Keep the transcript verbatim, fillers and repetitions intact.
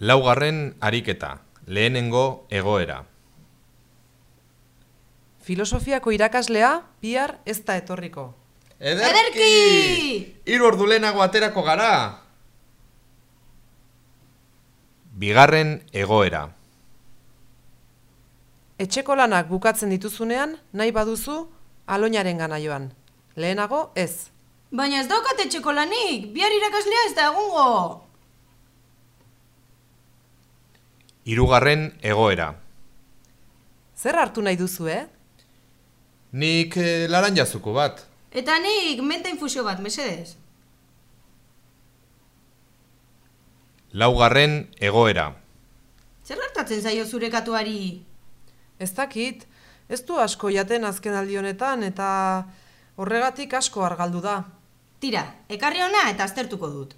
Laugarren ariketa, lehenengo egoera. Filosofiako irakaslea bihar ez da etorriko. Ederki! Hiru ordu lehenago aterako gara! Bigarren egoera. Etxeko lanak bukatzen dituzunean, nahi baduzu, aloinaren gana joan. Lehenago ez. Baina ez daukat etxeko lanik, bihar irakaslea ez da egungo. Hirugarren egoera. Zer hartu nahi duzu, eh? Nik eh, laranjazuko bat. Eta nik menta infusio bat, mesedez. Laugarren egoera. Zer gertatzen zaio zure katuari? Ez dakit, ez du asko jaten azken aldi honetan eta horregatik asko argaldu da. Tira, ekarri hona eta aztertuko dut.